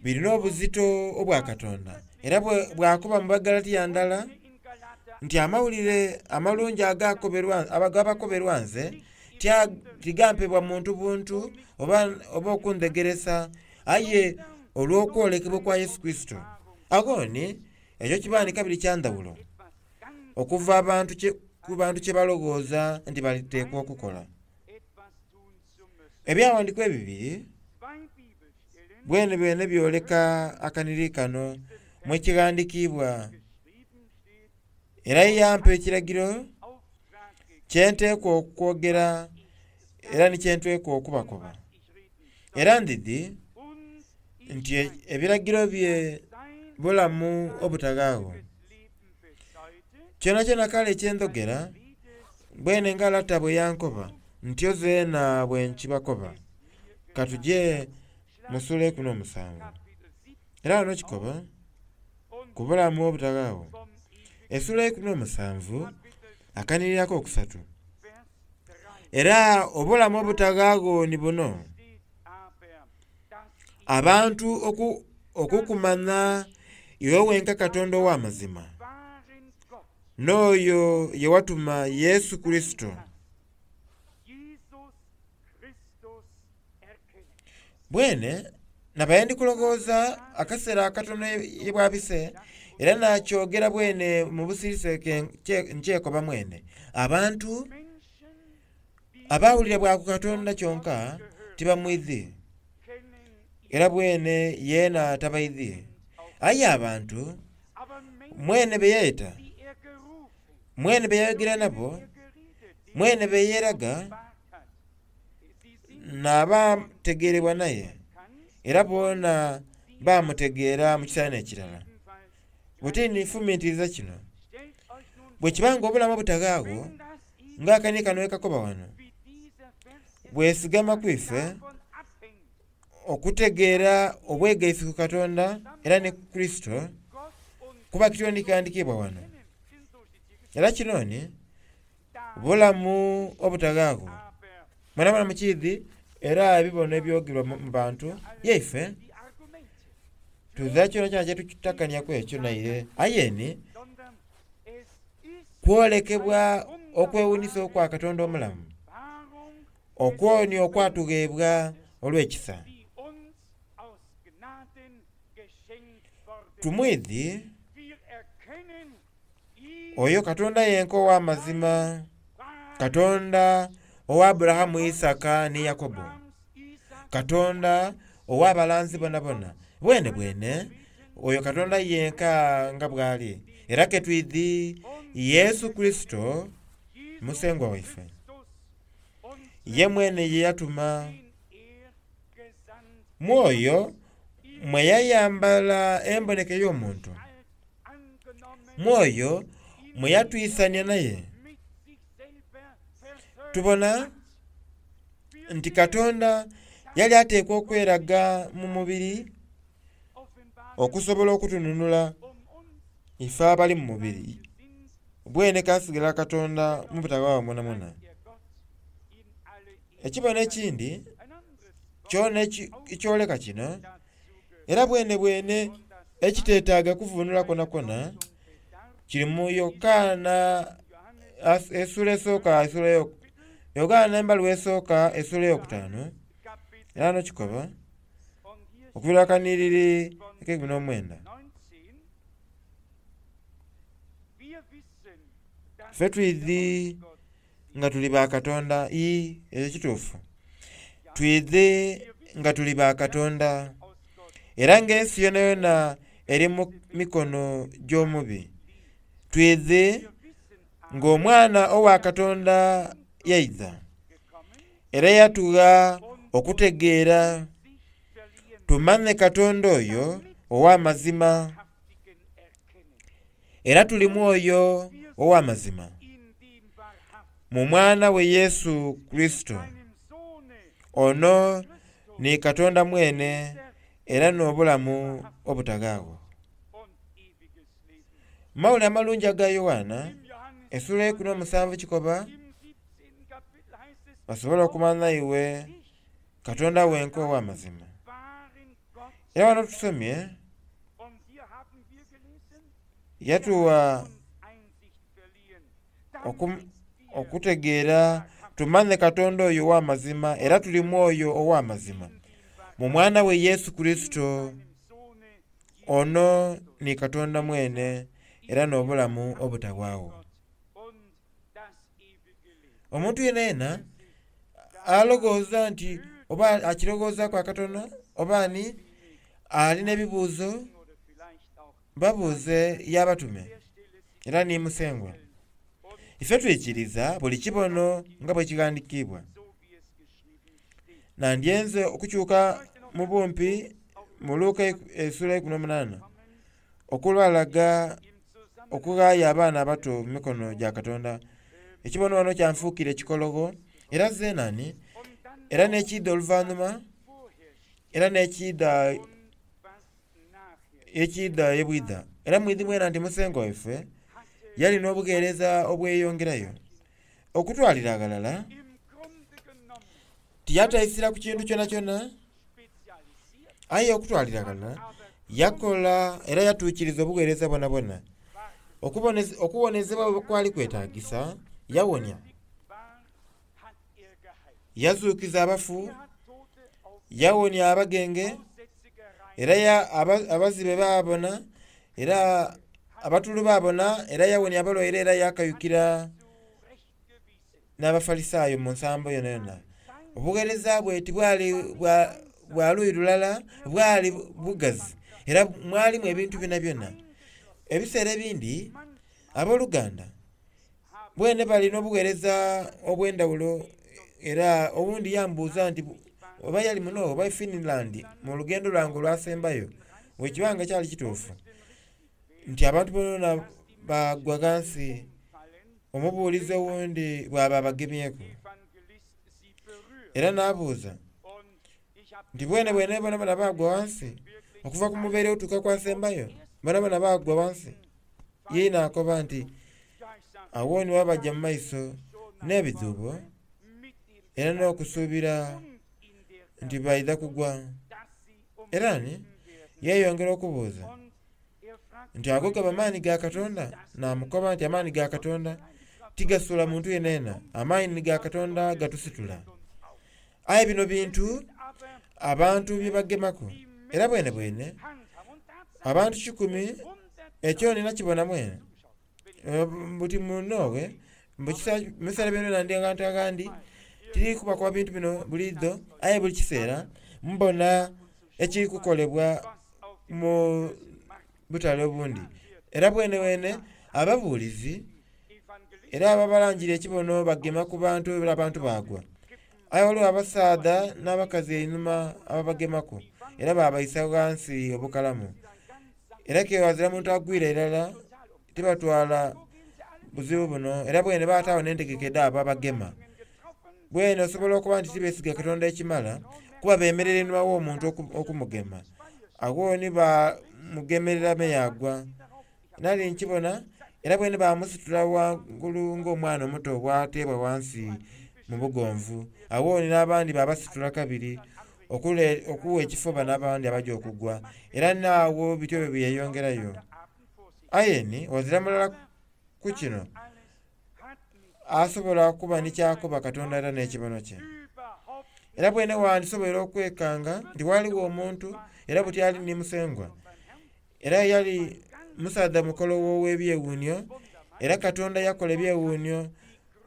birina obuzito obwa Katonda. Era bwakoba mu Bagalatiya ndala nti amawulire amalungi agabakoberwa nze tigampebwa muntu buntu oba okundhegeresa, aye olw'okwolekebwa kwa Yesu Kurisito. Agho ni ekyo kiba ni kabiri kya ndhawulo okuva ku bantu kye balowooza nti baliteekwa okukola. Ebyawandiikibwa ebibiri bwene bwene byoleka akanhiriri kano mu kighandikiibwa. Era yampa ekiragiro kye nteekwa okwogera era ni kye nteekwa okubakoba. Era ndidhi nti ebiragiro bye bulamu obutaghaagho. Kyonakyona kale kye ndhogera, bwene nga Lata bwe yankoba, ntyo zeena bwe nkibakoba. Ka tuje mu sula eikumi n'omusanvu. Era ghano kikoba ku bulamu obutaghaagho. Esula 17 akanhiriri akokusatu. Era obulamu obutaghaagho ni buno: abantu okukumanya iwe wenka Katonda ow'amazima, n'oyo ye watuma Yesu Kurisito. Bwene nabaire ndi kulowooza akaseera akatono ye bwabise, era nakyogera bwene mu busirise nkyekoba mwene. Abantu abawulira bwa ku Katonda kyonka tibamwidhi, era bwene yeena tabaidhi. Aye abantu mwene be yayeta, mwene be yayogera nabo, mwene be yeeraga, n'abategeerebwa naye, era boona bamutegeera mu kiseera n'ekirala. Buti nifumintiriza kino: bwe kiba nga obulamu obutaghaagho, ng'akanhiriri kano bwe kakoba wano, bwesigama ku ife okutegeera obwegaisi ku Katonda era ni Kurisito, kuba kityo ni kighandikiibwa wano. Era kino ni bulamu obutaghaagho. Mwenamwena mukiidhi era ebibono ebyogerwa mu bantu yaife tuzira kyonakyona kyetutakaniaku ekyo naire, aye ni kwolekebwa okwewunisa okwa Katonda omulamu, okwo ni okwatugheebwa olw'ekisa. Tumwidhi oyo Katonda yenka ow'amazima, Katonda owa Aburahamu, Isaaka ni Yakobo, Katonda ow'abalanzi bonabona. Bwene bwene oyo Katonda yenka nga bw'ali. Era ke twidhi Yesu Kurisito Musengwa waife, ye mwene ye yatuma. Mwoyo mwe yayambala emboneka ey'omuntu, mwoyo mwe yatwisania naye. Tubona nti Katonda yali ateekwa okweraga mu mubiri okusobola okutununula ife abali mu mubiri. Bwene kasigala Katonda mu butaghaagho mwonamwona. Ekibono ekindi kyona ekyoleka kino, era bwene bwene ekiteetaaga kuvunula kwonakwo kiri mu Yokaana esula esooka Yokaana embaluwa esooka esula eyokutaanu, era ghano kikoba okuviira akanhiriri ak'eikumi n'omwenda. Ffe twidhi nga tuli ba Katonda, ii ekyo kituufu. Twidhi nga tuli ba Katonda, era ng'ensi yonayona eri mu mikono gy'omubi. Twidhi ng'Omwana owa Katonda yaidha, era yatugha okutegeera tumanhe Katonda oyo ow'amazima, era tuli mwoyo ow'amazima. Mu mwana we Yesu Kurisito. Ono ni Katonda mwene era n'obulamu obutaghaagho. Mu Mawulire Amalungi aga Yoanna essuula eikumi n'omusanvu kikoba, basobole okumanha iwe Katonda wenka ow'amazima. Era wano tusomye yatuwa okutegeera tumanhe Katonda oyo ow'amazima era tuli mu oyo ow'amazima, mu Mwana we Yesu Kurisito. Ono ni Katonda mwene era n'obulamu obutagwaagho. Omuntu yenayena aloghooza nti oba akiroghoozaku akatono oba ani alina ebibuuzo, babuuze y'abatume era ni Musengwa. Ife twikiriza buli kibono nga bwe kighandikiibwa. Nandyenze okukyuka mu bumpi mu Luka essuula 18 okulwalaga okughaayo abaana abato mu mikono gya Katonda. Ekibono wano kyanfuukira ekikologho era zenani era n'ekiidha oluvanhuma era n'ekiidha ekiidha ebwidha. Era mwidhi mwena nti Musengwa waife yali n'obugheereza obweyongerayo. Okutwalira aghalala tiyataisira ku kintu kyonakyona, aye okutwalira aghalala yakola era yatuukiriza obugheereza bwonabwona. Okuwonezebwa bwe kwali kwetagisa, yawonia, yazuukiza abafu, yawonia abagenge, era abazibe baabona, era abatulu baabona, era yawonia abalwaire era yakayukira n'Abafalisaayo mu nsambo yonayona. Obugheereza bwe tibwali bwa luyi lulala, bwali bugazi era mwalimu ebintu byonabyona. Ebiseera ebindi abooluganda bwene balina obugheereza obw'endhawulo era owundi yambuuza nti oba yali muno oba e Finland mu lugendo lwange olwasembayo, bwekiba nga kyali kituufu nti abantu bonabona bagwa ghansi omubuulizi owundi bw'aba abagemyeku. Era n'abuuza nti bwene bwene bonabona baagwa ghansi okuva ku mubeere otuuka ku asembayo, bonabona baagwa ghansi. Yeena akoba nti agho ni bwe baja mu maiso n'ebidhuubo era n'okusuubira nti baidha kugwa. Era ni yeeyongera okubuuza nti ago gaba maani ga Katonda? Naamukoba nti amaani ga Katonda tigasuula muntu yenayena, amaani ga Katonda gatusitula. Aye bino bintu abantu bye bagemaku era bwenebwene abantu kikumi ekyo nina kibona mwene buti munoowe mu biseera byona ndi aghantu aghandi tiri kubakoba bintu bino buliidho aye buli kiseera mbona ekiri kukolebwa mu butale obundi. Era bwenebwene ababuulizi era ababalangira ekibono bagema ku bantu era abantu baagwa. Aye waliwo abasaadha n'abakazi einhuma ababagemaku era babaisa ghansi obukalamu. Era ke ghazira muntu agwire irala tibatwala buzibu buno era bwene bataagho n'entegeka edh'abo abagema. Bwene osobola okuba nti tibeesiga Katonda ekimala kuba beemerera einhuma gh'omuntu okumugema. Agho ni bamugemerera me yaagwa. Nali nkibona era bwene bamusitula ghangulu ng'omwana omuto bw'ateebwa ghansi mu bugonvu. Agho ni n'abandi babasitula kabiri okuwa ekifo bano abandi abaja okugwa. Era n'agho bityo bwe byeyongerayo. Aye ni ghazira mulala ku kino asobola okuba ni ky'akoba Katonda era n'ekibono kye. Era bwene wandisoboire okwekanga nti ghaligho omuntu era buti ali ni Musengwa. Era yali musaadha mukologho ow'ebyewuunhio era Katonda yakola ebyewuunhio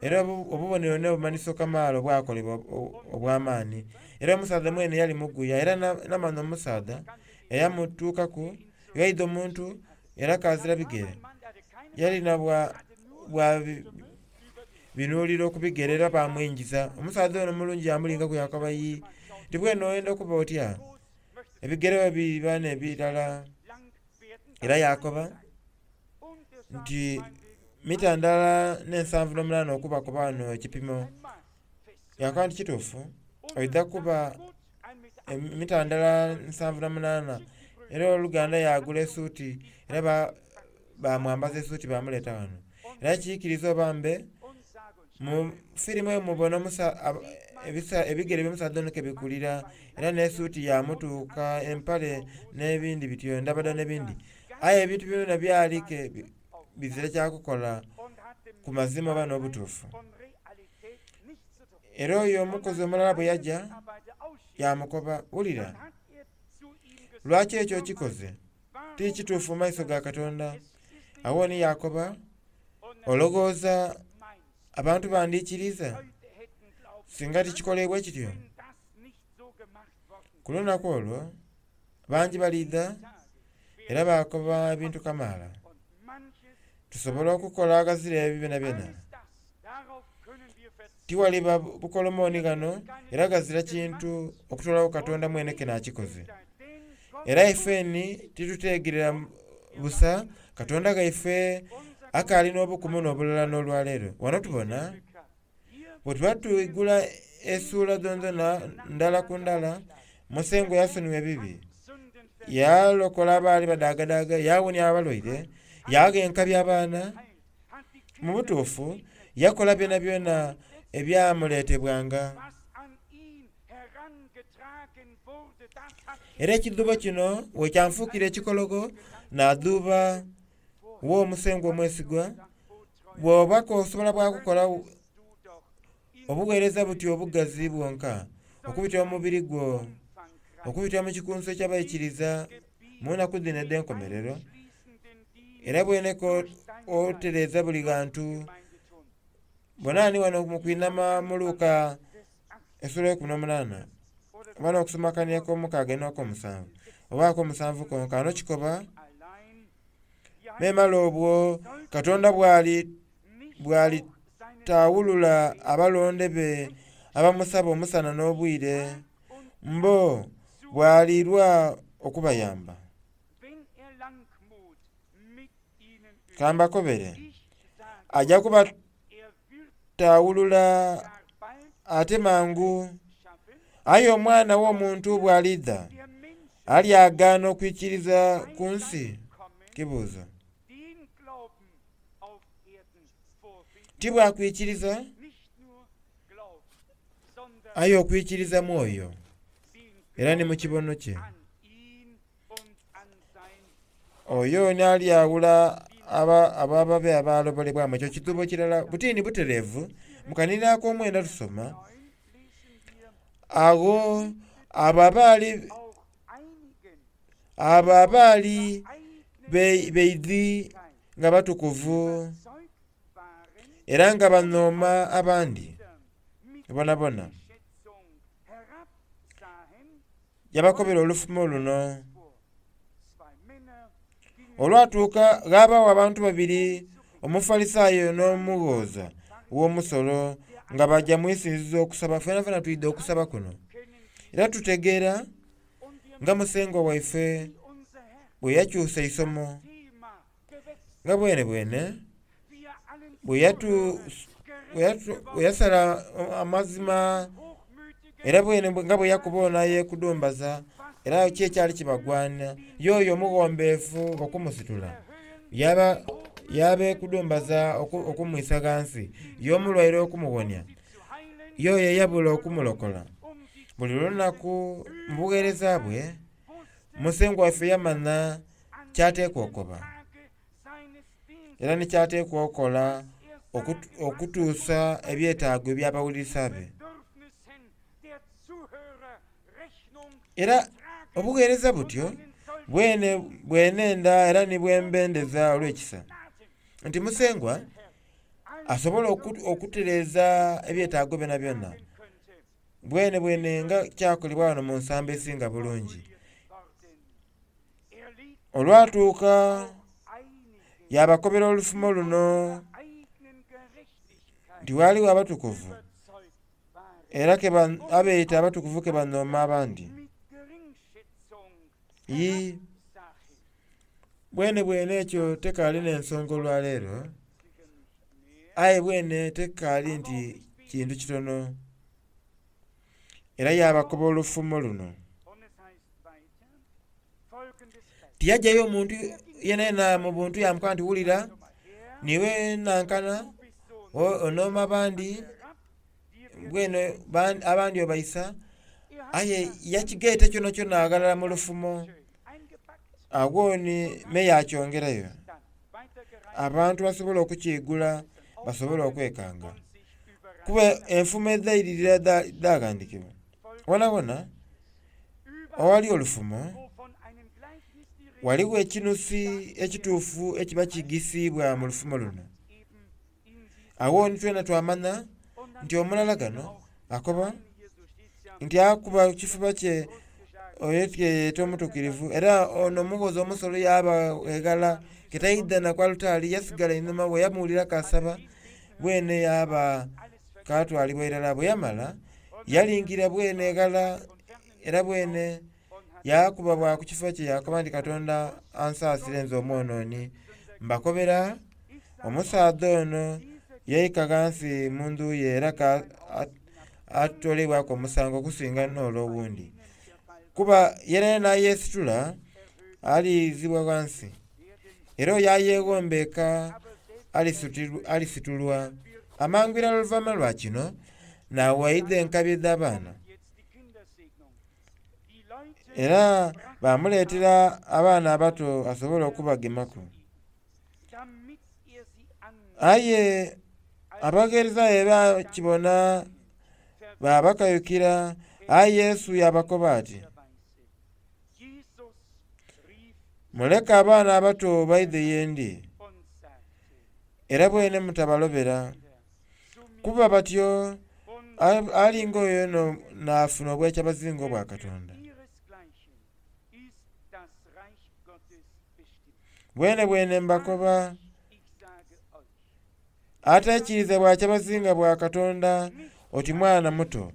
era obubonero n'obumanhiso kamaala obwakolebwa obw'amaani. Era omusaadha mwene yali muguya era namanha omusaadha eyamutuukaku ghaidha omuntu era kazira bigere. Yali na bwa binuuliro ku bigere era bamwingiza. Omusaadha ono omulungi yamulingaku yakoba, Yii, nti bwene oyenda okuba otya? Ebigere bwe biba n'ebirala. Era yakoba nti, mita ndala n'ensanvu n'omunaana okuba ku wano ekipimo. Yakoba nti kituufu oidha kuba mita ndala 78. Era oluganda yagula esuuti era bamwambaza esuuti bamuleeta wano. Era kiikiriza oba mbe mu firimu eyo mubona ebigere by'omusaadha ono ke bikulira era n'esuuti yamutuuka, empale n'ebindi bityo, endabada n'ebindi. Aye ebintu byona byali ke bizira kyakukola ku mazima oba n'obutuufu. Era oyo omukozi omulala bwe yajja yamukoba, wulira, lwaki ekyo okikoze? Ti kituufu mu maiso ga Katonda. Awo ni yakoba, olowooza abantu bandiikiriza singa tikikolebwa kityo? Ku lunaku olwo bangi baliidha era bakoba ebintu kamaala. Tusobola okukola aghazira ebyo byonabyona. Tiwaliba bukolomoni ghano era ghazira kintu okutolawo Katonda mwene ke n'akikoze. Era ifeni tituteegerera busa Katonda ghaife akaali n'obukumu n'obulala n'olwaleero. Wano tubona bwe tuba twigula esuula dhonadhona ndala ku ndala, Musengwa yasonyiwa ebibi, yalokola abaali badaagadaaga, yawonia abalwaire, yagha enkabi abaana. Mu butuufu yakola byonabyona ebyamuleetebwanga. Era ekidhuubo kino bwe kyanfuukira ekikologo, naadhuuba wo omusengwa omwesigwa, bw'oba k'osobola bwakukola obugheereza butyo obugazi bwonka okubitira mu mubiri gwo, okubitira mu kikunsu eky'abaikiriza mu nnaku dhino edh'enkomerero, era bweneko otereeza buli ghantu. Bona ni wano mu kwinhama mu Luka esula eikumi n'omunaana oba n'okusoma akania ak'omukaaga n'akomusanvu oba ak'omusanvu konka ano kikoba memale obwo Katonda bwali bwalitaawulula abalonde be abamusaba omusana n'obwire, mbo bwalirwa okubayamba. Kambakobere, aja kubataawulula ate mangu. Aye Omwana w'Omuntu bw'alidha, alyagaana okwikiriza ku nsi? Kibuuzo. Ti bwakwikiriza, aye okwikiriza mwoyo era ni mu kibono kye. Oyo ni alyawula ababe abalobolebwamu. Ekyo kidhuubo kirala butini butereevu. Mu kanini ak'omwenda tusoma agho abo abaali beidhi nga batukuvu era nga banhooma abandi bonabona, yabakobera olufumo luno. Olwatuuka ghabaagho abantu babiri, Omufalisaayo n'omughooza w'omusolo nga baja mu isinzizo okusaba. Fenafena twidha okusaba kuno. Era tutegeera nga Musengwa waife bwe yakyusa eisomo, nga bwenebwene bwe yasala amazima era bwene nga bwe yakuba ono ayekudumbaza era ki ekyali kibagwana y'oyo omughombeefu okumusitula yabekudumbaza okumwisa ghansi, y'omulwaire okumuwonia, y'oyo eyabula okumulokola. Buli lunaku mu bugheereza bwe, Musengwa waife yamanha kyateekwa okuba era ni kyateekwa okukola okutuusa ebyetaago eby'abawulirisa be. Era obugheereza butyo bwene bwenenda era ni bwembendeza olw'ekisa nti Musengwa asobola okutereeza ebyetaago byonabyona bwene bwene nga kyakolebwa wano mu nsambo esinga bulungi. Olwatuuka yabakobera olufumo luno nti ghaligho abatukuvu era abeeta abatukuvu ke banhooma abandi. Bwene bwene ekyo tekaali n'ensonga olwaleero. Aye bwene tekaali nti kintu kitono. Era yaabakoba olufumo luno. Tiyajayo omuntu yenayena mu buntu yamukoba nti wulira niwe nankana onooma abandi bwene abandi obaisa aye yakigaita kyonakyona aghalala mu lufumo agho ni me yakyongerayo abantu basobole okukyigula basobole okwekanga kuba enfumo edhairirira dhaghandikibwa wonawona owali olufumo ghaligho ekinusi ekituufu ekiba kigisiibwa mu lufumo luno. Agho ni twena twamanya nti omulala ghano akoba nti akuba kifuba kye oyo tyeyeta omutuukirivu era ono omughozi omusolo yaba eghala ketaidhana ku alutaari yasigala einhuma bwe yamuwulira kasaba bwene yaba katwalibwa irala. Bwe yamala yalingira bwene eghala era bwene yakuba bwa ku kifo kye yakoba nti Katonda ansaasire nze omwonooni. Mbakobera omusaadha ono yaika ghansi mu ndhu ye era atolebwaku omusango okusinga n'ole owundi. Kuba yenayena ayesitula alizibwa ghansi era oyo ayeghombeeka alisitulwa. Amangu irala oluvaima lwa kino n'awaidha enkabi edh'abaana era bamuleetera abaana abato asobole okubagemaku. Aye abagheereza be bakibona babakayukira aye Yesu yabakoba ati, muleke abaana abato baidhe ye ndi, era bwene mutabalobera, kuba batyo alinga oyo n'afuna obwekyabazinga obwa Katonda. Bwene bwene mbakoba ataikiriza bwakyabazinga bwa Katonda oti mwana muto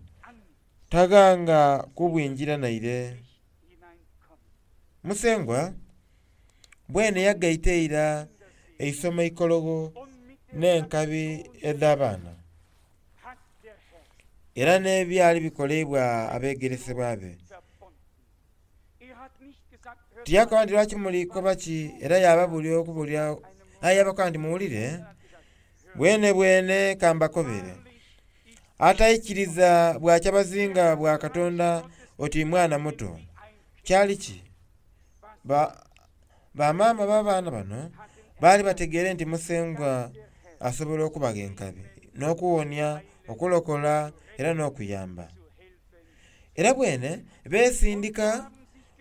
taghanga kubwingira naire. Musengwa bwene yagaita eira eisomo eikologho n'enkabi edh'abaana era n'ebyali bikoleibwa abegeresebwa be. Tiyakoba nti lwaki muli koba ki era yababulira okubulira aye yabakoba nti muwulire bwene bwene kambakobere ataikiriza bwakyabazinga bwa Katonda oti mwana muto. Kyali ki? Bamaama b'abaana bano baali bategeere nti Musengwa asobola okubagha enkabi n'okuwonia, okulokola era n'okuyamba. Era bwene beesindika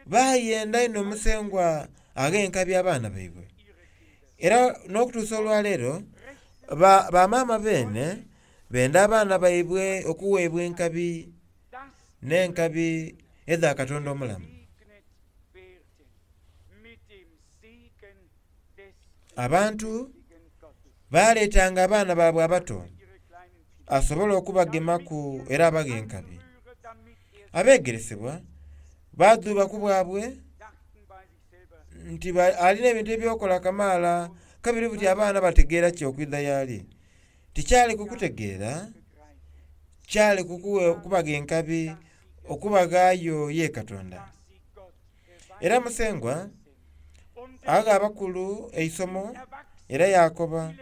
baayenda inho Musengwa aghe enkabi abaana baibwe. Era n'okutuusa olwaleero bamaama beene benda abaana baibwe okuweebwa enkabi n'enkabi edha Katonda omulamu. Abantu baleetanga abaana baabwe abato asobole okubagemaku era abaghe enkabi. Abegeresebwa badhuuba ku bwabwe nti alina ebintu ebyokola kamaala kabiri buti abaana bategeera ki okwidha y'ali. Tikyali kukutegeera, kyali kubaga enkabi okubaghaayo ye Katonda. Era Musengwa agha abakulu eisomo era yakoba,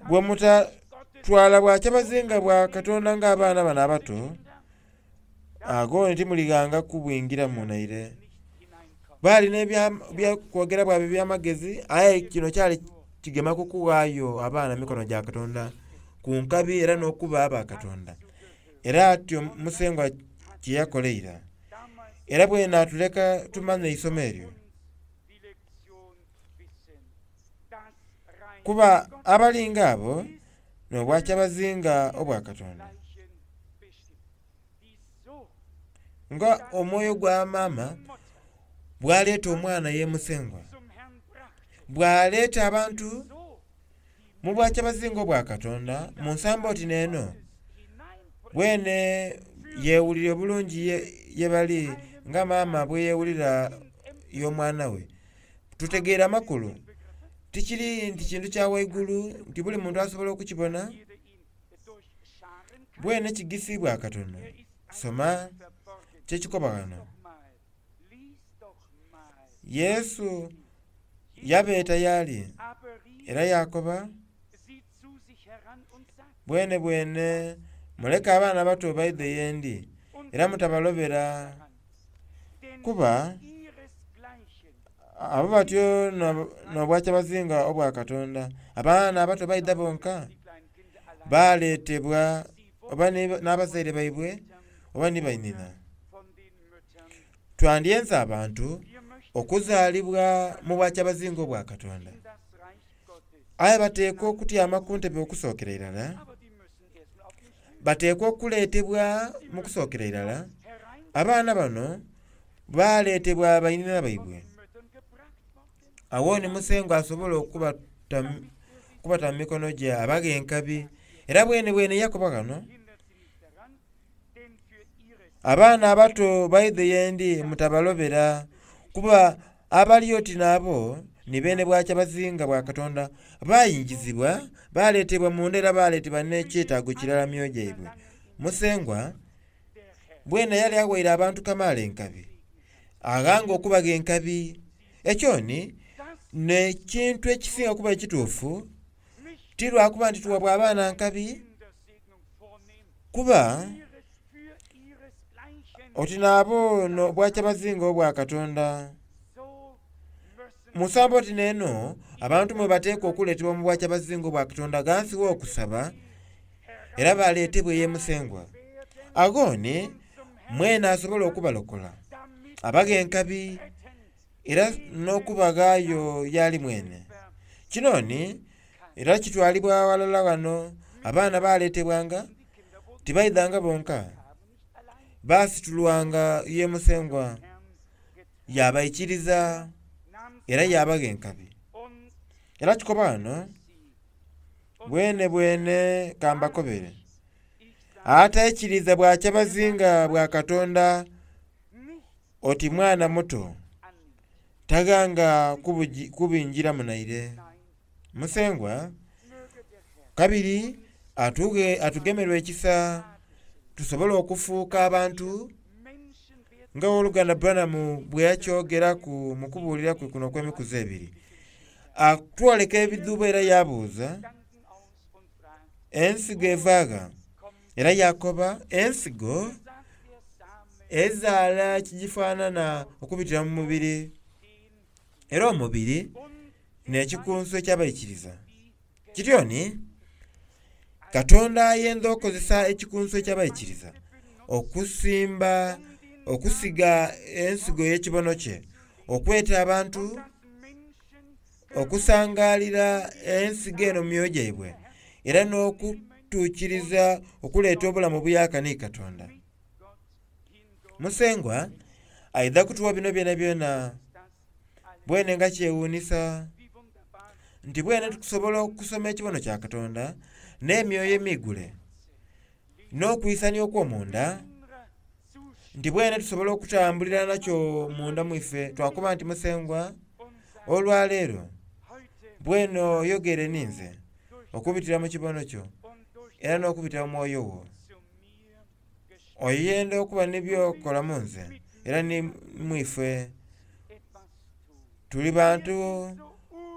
bwe mutatwala bwakyabazinga bwa Katonda ng'abaana bano abato, agho timulighanga kubwingiramu naire. Baali n'ebyokwogera bwabwe eby'amagezi aye kino kyali kigema ku kughaayo abaana mu mikono gya Katonda ku nkabi era n'okuba aba Katonda. Era atyo Musengwa kye yakola eira. Era bwene atuleka tumanye eisomo eryo. Kuba abalinga abo n'obwakyabazinga obwa Katonda. Nga omwoyo gwa maama bwaleeta omwana ye Musengwa, bwaleeta abantu mu bwakyabazinga obwa Katonda mu nsambo oti n'eno, bwene yeewulira obulungi ye bali nga maama bwe yeewulira y'omwana we. Tutegeera amakulu. Tikiri nti kintu kya waigulu nti buli muntu asobola okukibona. Bwene kigisiibwa akatono. Soma kyekikoba ghano. Yesu yabeeta y'ali era yaakoba, Bwenebwene muleke abaana abato baidhe ye ndi, era mutabalobera, kuba abo batyo n'obwakyabazinga obwa Katonda. Abaana abato baidha bonka, baleetebwa oba n'abazaire baibwe oba ni bainhina. Twandyenze abantu okuzaalibwa mu bwakyabazinga obwa Katonda. Aye bateekwa okutyama ku ntebe okusookera irala, bateekwa okuleetebwa mu kusookera irala. Abaana bano baleetebwa bainhina baibwe. Agho ni Musengwa asobola okubata mu mikono gye abaghe enkabi. Era bwenebwene yakoba ghano, Abaana abato baidhe ye ndi mutabalobera, kuba abali oti n'abo ni beene bwakyabazinga bwa Katonda. Baingizibwa, baleetebwa munda era baleetebwa n'ekyetaago kirala mu myoyo gyaibwe. Musengwa bwene yali aghaire abantu kamaala enkabi, aghanga okubagha enkabi. Ekyo ni n'ekintu ekisinga okuba ekituufu, ti lwa kuba nti tuwa bwa baana nkabi, kuba oti n'abo n'obwakyabazinga obwa Katonda. Mu nsambo oti n'eno, abantu mwe bateekwa okuleetebwa mu bwakyabazinga obwa Katonda ghansi w'okusaba, era baleetebwe ye Musengwa. Agho ni mwene asobola okubalokola, abaghe enkabi era n'okubaghaayo y'ali mwene. Kino ni era kitwalibwa ghalala ghano, abaana baleetebwanga, tibaidhanga bonka, baasitulwanga ye Musengwa, yaabaikiriza era yaabagha enkabi. Era kikoba ghano, bwenebwene ka mbakobere, ataikiriza bwakyabazinga bwa Katonda oti mwana muto, taghanga kubingiramu naire. Musengwa kabiri atugemerwe ekisa tusobole okufuuka abantu nga ow'oluganda Branham bwe yakyogeraku mu kubuulira kwe kuno okw'emikuzi ebiri. Atwoleka ebidhuubo era yaabuuza, ensigo eva gha? Era yaakoba, ensigo ezaala ekigifaanana okubitira mu mubiri, era omubiri n'ekikunsu eky'abaikiriza. Kityo ni, Katonda ayenda okukozesa ekikunsu eky'abaikiriza okusimba, okusiga ensigo ey'ekibono kye, okweta abantu okusangaalira ensigo eno mu myoyo gyaibwe, era n'okutuukiriza okuleeta obulamu obuyaaka ni Katonda. Musengwa aidha kutuwa bino byonabyona. Bwene nga kyewuunisa nti bwene tukusobola okusoma ekibono kya Katonda n'emyoyo emiigule n'okwisania okw'omunda, nti bwene tusobola okutambulira nakyo munda mu ife twakoba nti Musengwa, olwaleero bwene oyogere ninze okubitira mu kibono kyo era n'okubitira mu mwoyo wo. Oyenda okuba ni by'okola mu nze era ni mu ife. Tuli bantu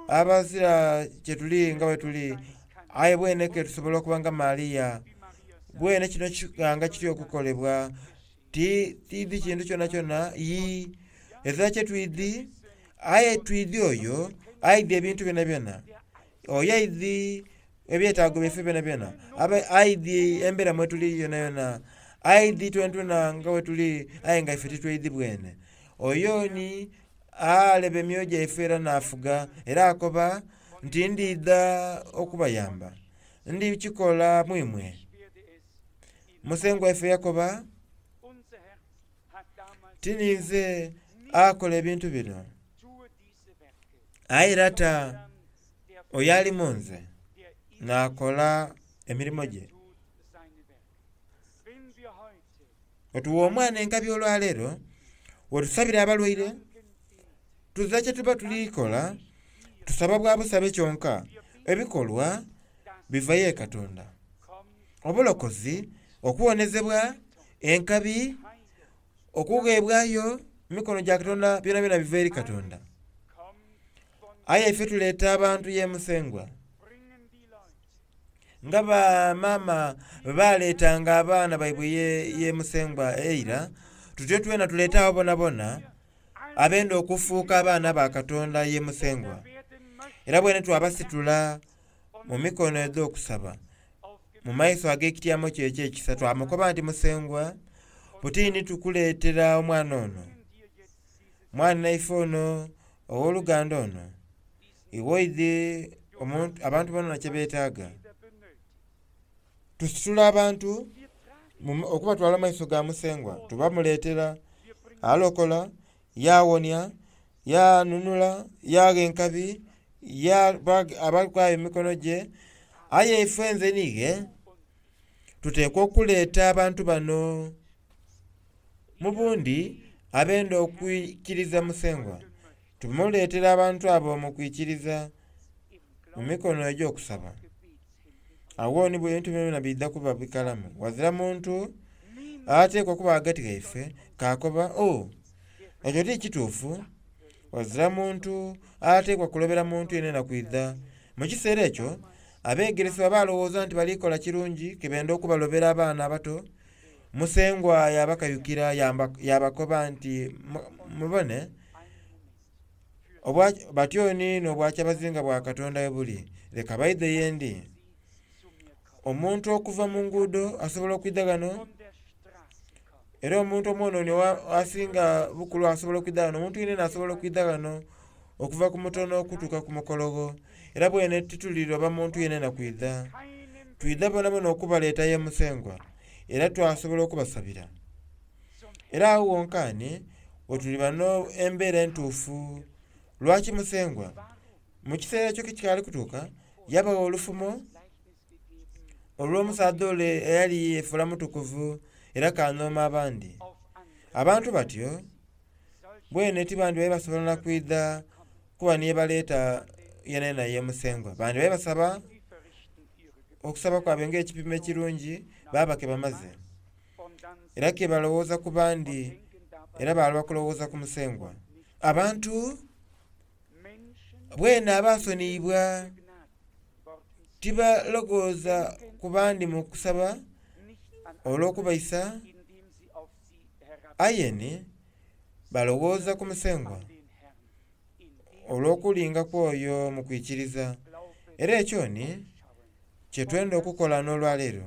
abazira kye tuli nga bwe tuli, aye bwene ke tusobola okuba nga Maria. Bwene kino kighanga kitya okukolebwa? Ti tiidhi kintu kyonakyona, yii, ezira kye twidhi, aye twidhi oyo aidhi ebintu byonabyona. Oyo aidhi ebyetaago byaife byonabyona, aidhi embeera mwe tuli yonayona, aidhi twenatwena nga bwe tuli aye nga ife titweidhi bwene. Oyo ni aleba emyoyo gyaife era n'afuga, era akoba nti ndidha okubayamba, ndikikola mu imwe. Musengwa waife yakoba, Ti ninze akola ebintu bino, aye Lata oyo ali mu nze n'akola emirimo gye. Otuwa omwana enkabi olwaleero, wetusabira abalwaire, tuzira kye tuba tuli kola, Tusaba bwa busabe kyonka, ebikolwa biva ye Katonda. Obulokozi, okuwonezebwa, enkabi, okugheebwayo mu mikono gya Katonda byonabyona biva eri Katonda. Aye ife tuleeta abantu ye Musengwa. Nga bamaama bwe baleetanga abaana baibwe ye Musengwa eira, tutyo twena tuleete abo bonabona abenda okufuuka abaana ba Katonda ye Musengwa. Era bwene twabasitula mu mikono edh'okusaba mu maiso ag'ekityamo kye eky'ekisa, twamukoba nti, Musengwa, butini tukuleetera omwana ono, mwanhaife ono, ow'oluganda ono, iwe oidhi abantu bonabona kye beetaaga. Tusitula abantu okubatwala mu maiso ga Musengwa, tubamuleetera. Alokola, yaawonia, yaanunula, yaagha enkabi, abatwala mu mikono gye. Aye ife nze n'ighe tuteekwa okuleeta abantu bano mu bundi abenda okwikiriza Musengwa. Tumuleetera abantu abo mu kwikiriza mu mikono egy'okusaba. Agho ni ebintu byonabyona biidha kuba bikalamu. Ghazira muntu ateekwa okuba ghagati ghaife k'akoba, O, ekyo ti kituufu. Ghazira muntu ateekwa kulobera muntu yenayena kwidha. Mu kiseera ekyo abeegeresebwa baalowooza nti bali kola kirungi ke benda okubalobera abaana abato. Musengwa yaabakayukira yaabakoba nti, Mubone, batyo ni n'obwakyabazinga bwa Katonda bwe buli. Leka baidhe ye ndi. Omuntu okuva mu nguudo asobola okwidha ghano, era omuntu omwonooni asinga bukulu asobola okwidha ghano, omuntu yenayena asobola okwidha ghano okuva ku mutono okutuuka ku mukologho. Era bwene tituliroba muntu yenayena kwidha. Twidha bonabona okubaleeta ye Musengwa, era twasobola okubasabira. Era agho wonkaani wetuliba n'embeera entuufu. Lwaki Musengwa? Mu kiseera ekyo kikaali kutuuka, yabagha olufumo olw'omusaadha ole eyali yeefuula mutukuvu era kanhooma abandi. Abantu batyo bwene tibandibaire basobola na kwidha kuba ni yebaleeta yenayena ye Musengwa. Bandibaire basaba okusaba kwabwe ng'ekipimo ekirungi baaba ke bamaze. Era ke balowooza ku bandi era baaloba kulowooza ku Musengwa. Abantu bwene abaasoniibwa tibaloghooza ku bandi mu kusaba olw'okubaisa, aye ni balowooza ku Musengwa olw'okulinga kw'oyo mu kwikiriza. Era ekyo ni kye twenda okukola n'olwaleero.